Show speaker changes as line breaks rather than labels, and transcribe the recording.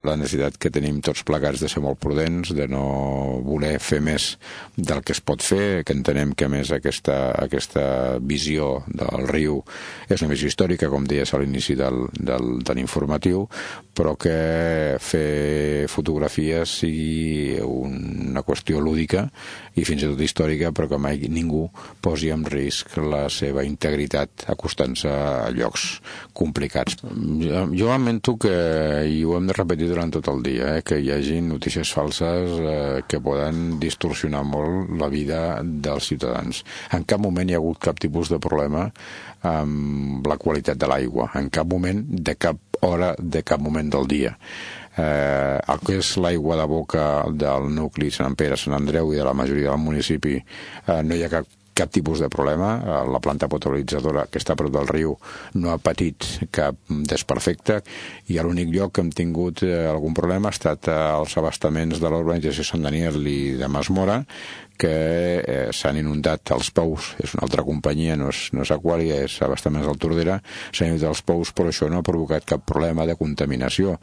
La necessitat que tenim tots plegats de ser molt prudents, de no voler fer més del que es pot fer, que entenem que a més aquesta visió del riu és una visió històrica, com deies a l'inici de l'informatiu, però que fer fotografies sigui una qüestió lúdica i fins i tot històrica, però que mai ningú posi en risc la seva integritat acostant-se a llocs complicats. Jo lamento que, i ho hem de repetir durant tot el dia, que hi hagi notícies falses que poden distorsionar molt la vida dels ciutadans. En cap moment hi ha hagut cap tipus de problema amb la qualitat de l'aigua, en cap moment, de cap hora, de cap moment del dia. El que és l'aigua de boca del nucli Sant Pere, Sant Andreu i de la majoria del municipi no hi ha cap tipus de problema. La planta potabilitzadora que està a prop del riu no ha patit cap desperfecte i l'únic lloc que hem tingut algun problema ha estat als abastaments de l'urbanització Sant Daniel i de Masmora, que s'han inundat els pous. És una altra companyia, no és Aquàlia, és Abastaments del Tordera, s'han inundat els pous, però això no ha provocat cap problema de contaminació.